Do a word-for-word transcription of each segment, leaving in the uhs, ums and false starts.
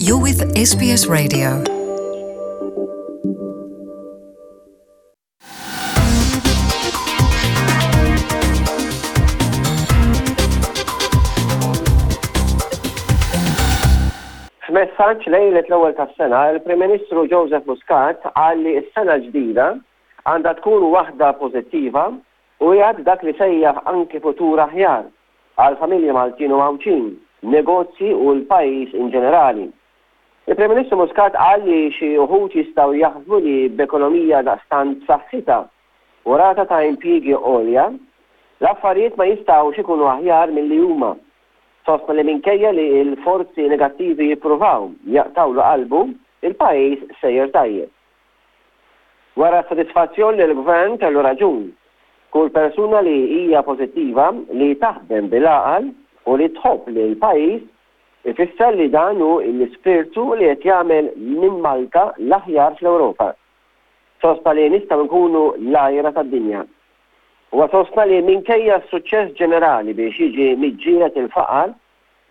You're with S B S Radio. F'messaġġ lejlet l-ewwel tas-sena, il-Prim Ministru Joseph Muscat qal li s-sena ġdida għandha tkun waħda pożittiva u jgħad dak li sejjaħ anki futur aħjar għal familji Maltin u Għawdxin, negozji u l-pajjiż in ġenerali. Il-Prim Ministru Muscat qal li xi uħud jistgħu jaħsbu li b'ekonomija daqstant b'saħħitha u rata ta' impjiegi għolja, l-affarijiet ma jistgħux ikunu aħjar milli huma. Sostna li minkejja li l-forzi negattivi jippruvaw jaqtawlu qalbu, il-pajjiż sejjer tajjeb. Wera sodisfazzjon li l-gvern kellu raġun. Kull persuna li hija pożittiva, li taħdem bil-għaqal u li tħobb lil pajjiż ifisser li dan hu l-ispirtu li qed jagħmel minn Malta l-aħjar fl-Ewropa. Sostna li nistgħu nkunu l-għira tad-dinja. Huwa sostna li minkejja s-suċċess ġenerali biex jiġi miġġielet il-faqar,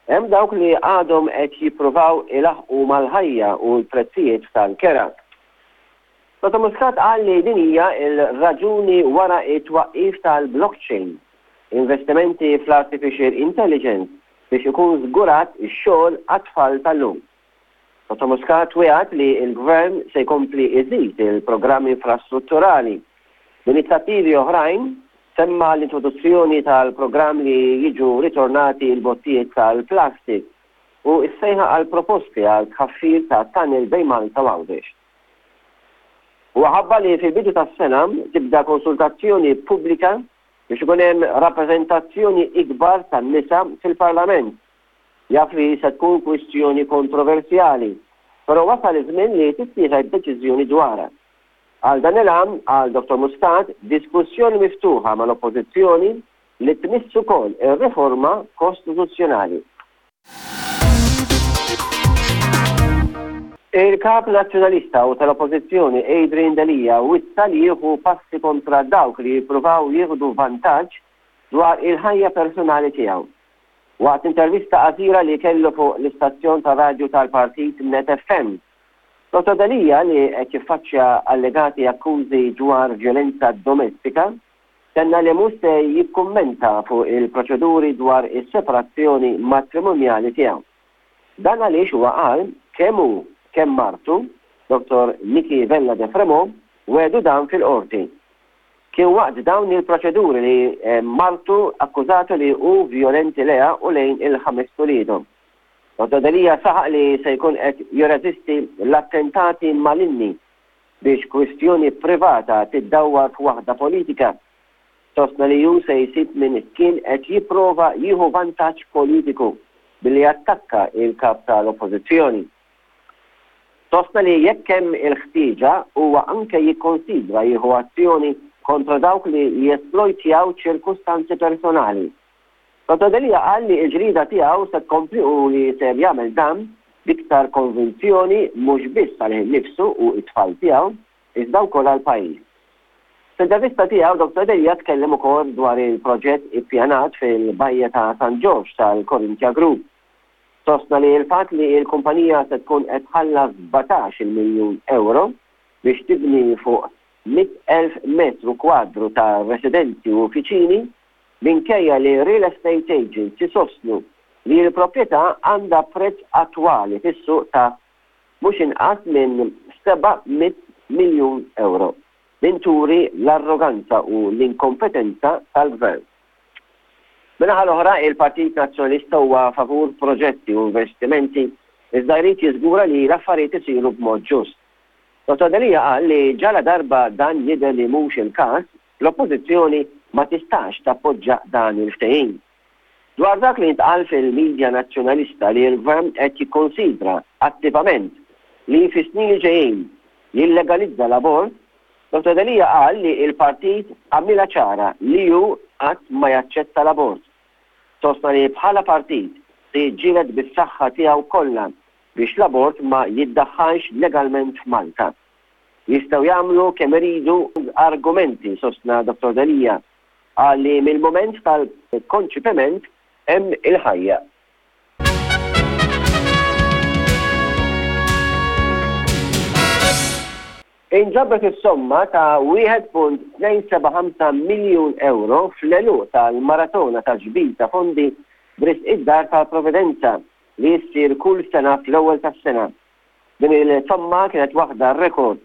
hemm dawk li għadhom qed jippruvaw ilaħqu mal-ħajja u l-prezzijiet tal-kera. Dottor Muscat qal li din hija l-raġuni wara it-twaqqif tal-blockchain, investimenti fl-artificial intelligence biex ikun żgurat ix-xogħol għat-tfal tal-lum. Dottor Muscat wiegħed li l-gvern se jkompli iżid il-programmi infrastrutturali. B'inizjattivi oħrajn semma l-introduzzjoni tal-programm li jiġu ritornati l-bottijiet tal-plastik u s-sejħa għal proposti għal tħaffir ta' tunnel bejn Malta u Għawdex. U ħabbar li fil-bidu tas-sena tibda konsultazzjoni pubblika biex ikun hemm rappreżentazzjoni ikbar tan-nisa fil-Parlament. Jaf li se tkun kwistjoni kontroversjali, però wasal iż-żmien li tittieħed deċiżjoni dwarha. Għal dan il-għan, qal Dottor Muscat, diskussjoni miftuħa mal-Oppożizzjoni li tmiss ukoll ir-riforma kostituzzjonali. Il-kap nazzjonalista u tal-Oppożizzjoni Adrian Delia wissa li jieħu passi kontra dawk li jippruvaw jieħdu vantaġġ dwar il-ħajja personali tiegħu. Waqt intervista qasira li kellu fuq l-istazzjon ta' radju tal-partit Net F M, Dottor Delia, li qed jiffaċċja allegati akkużi dwar violenza domestika, tenna li mhux se jikkummenta fuq il-proċeduri dwar is-separazzjoni matrimonjali tiegħu. Dan għaliex, huwa qal, kemm hu kemm martu, Dottor Nickie Vella de Fremeaux, wegħdu dan fil-qorti. Kien waqt dawn il-proċeduri li eh, martu akkużatu li hu violenti lejha u lejn il-ħames uliedhom. Dottor Delia saħaq li se jkun qed jirreżisti l-attentati malinni biex kwistjoni privata tiddawwar f'waħda politika. Sostna li ju se jsib min kien qed jipprova jieħu vantaġġ politiku billi attakka il-kap tal-Oppożizzjoni. Sostna li jekk hemm il-ħtieġa, huwa anke jikkonsidra jieħu azzjoni kontra dawk li jesplojtjaw ċirkustanzi personali. Dottor Delia qal li l-ġrida tiegħu se tkompli u li ser jagħmel dan b'iktar konvinzjoni, mhux biss għalih innifsu u t-tfal tiegħu, iżda wkoll għall-pajjiż. F'intervista tiegħu, Dottor Delia tkellem ukoll dwar il-proġett ippjanat fil-Bajja ta' San Ġorġ tal-Corinthia Group. Sostna li l-fatt li l-kumpanija se tkun qed tħallas sbatax-il miljun euro biex tibni fuq mitt elf metru kwadru ta' residenzi u uffiċini, minkejja li real estate agents jisostnu li l-proprjetà għandha prezz attwali fis-suq ta' mhux inqas minn seba' mitt miljun euro, din turi l-arroganza u l-inkompetenza tal-gvern. Min-naħa l-oħra, il-Partit Nazzjonalista huwa favur proġetti u investimenti, iżda jrid jiżgura li l-affarijiet isiru b'mod ġust. Dottor Delia qal li ġala darba dan jidher li mhux il-każ, l-Oppożizzjoni ma tistax tappoġġa dan il-ftehim. Dwar dak li ntqal fil-medja nazzjonalista li l-gvern qed jikkonsidra attivament li fis-snin li ġejjin jillegalizza l-abort, Dottor Delia qal li il-partit għamilha ċara li hu qatt ma jaċċetta l-abort. Sostna li bħala partit se jiġġieled bis-saħħa tiegħu kollha biex l-abort ma jiddaħħalx legalment f'Malta. Jistgħu jagħmlu kemm iridu argumenti, sostna Dottor Delia, qal li mill-moment tal-konċipiment hemm il-ħajja. Inġabret is-somma ta' wieħed punt tnejn seba' ħamsa miljun euro fl-għeluq tal-maratona ta' ġbir ta' fondi b'risq id-Dar tal-Providenza li ssir kull sena fl-ewwel tas-sena. Din il-somma kienet waħda rekord.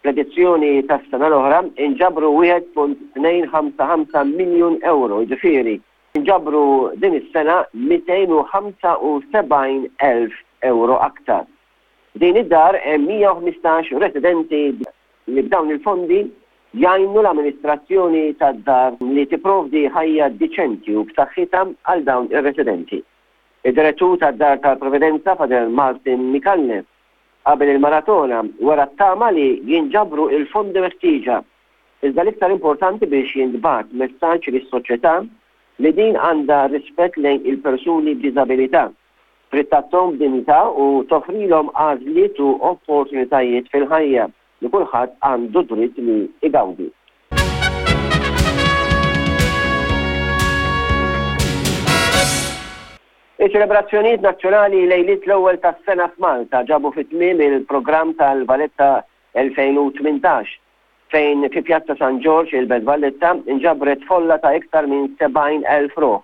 Fl-edizzjoni tas-sena l-oħra inġabru wieħed punt tnejn ħamsa ħamsa miljun euro, jiġifieri inġabru din is-sena mitejn u ħamsa u sebgħin elf euro aktar. F'din id-dar hemm mija u ħmistax residenti li b'dawn il-fondi jgħinu l-amministrazzjoni tad-dar li tipprovdi ħajja diċenti u b'saħħitha għal dawn ir-residenti. Id-direttur tad-Dar tal-Providenza, Father Martin Micallef, qabel il-maratona wera t-tama li jinġabru il-fondi meħtieġa, iżda l-iktar importanti biex jintbagħat messaġġ lis-soċjetà li din għandha rispett lejn il-persuni b'diżabilità, trid tagħtihom b'dinjità u toffrilhom għażliet u opportunitajiet fil-ħajja li kulħadd għandu dritt li igawdi. Iċ-ċelebrazzjonijiet nazzjonali lejliet l-ewwel tas-sena f'Malta ġabu fit-tmiem il-programm tal-Valletta elfejn u tmintax, fejn fi Pjazza San Ġorġ il-Belt Valletta inġabret folla ta' iktar minn sebgħin elf ruħ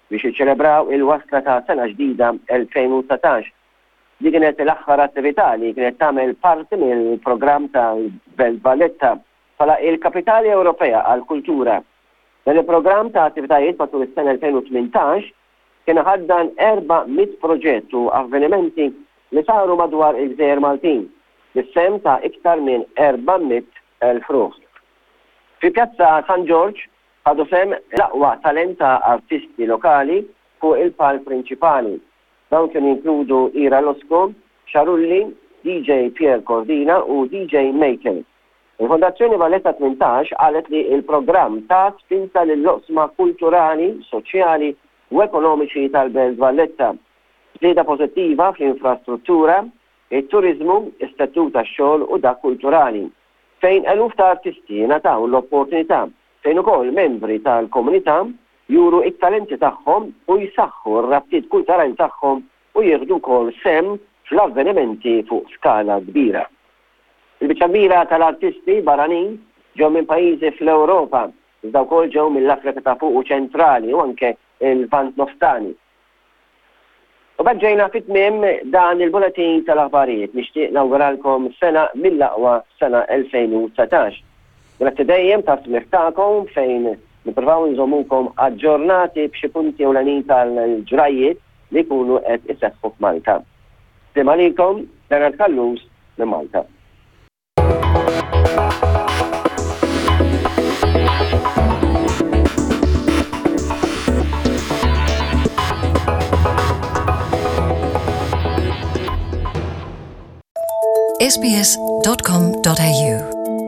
biex jiċċelebraw il-wasla ta' sena ġdida elfejn u dsatax. Di kienet l-aħħar attività li kienet tagħmel parti mill-programm tal-Belt Valletta bħala il-Kapitali Ewropea għall-Kultura. Dan il-programm ta' attivitajiet matul is-sena elfejn u tmintax kien ħaddan erba' mitt proġett u avvenimenti li saru madwar il-Gżejjer Maltin, bis-sehem ta' iktar minn erba' mitt elf ruħ. Fi Pjazza San Ġorġ ħadu sehem l-aqwa talent ta' artisti lokali fuq il-palk prinċipali. Dawn kienu jinkludu Ira Losco, Xarulli, D J Pierre Cordina u D J Maker. Il-Fondazzjoni Valletta tmintax qalet li il-programm ta' spinta lill-oqsma kulturali, soċjali u ekonomiċi tal-Belt Valletta. Żieda pożittiva fl-infrastruttura, it-turizmu, is-settur tax-xogħol u dak kulturali, fejn eluf ta' artisti ngħataw l-opportunità fejn ukoll membri tal-komunità juru it-talenti tagħhom u jsaħħu r-rabtiet kulturali tagħhom u jieħdu wkoll sehem fl-avvenimenti fuq skala kbira. Il-biċċa kbira tal-artisti barranin ġew minn pajjiżi fl-Ewropa, iżda wkoll ġew mill-Afrika ta' fuq u ċentrali u anke il-Lvant Nofsani. U b'hekk ġejna fit-tmiem dan il-bulletin tal-aħbarijiet. Nixtieq nawguralkom sena mill-aqwa sena elfejn u dsatax. Grazzi dejjem ta' smigħ tagħkom fejn nippruvaw nżommukom aġġornati b'xi punti ewlenin tal-ġrajiet li jkunu qed iseħħu f'Malta. Slim għalikom, Bernard Callus minn Malta. S B S dot com dot A U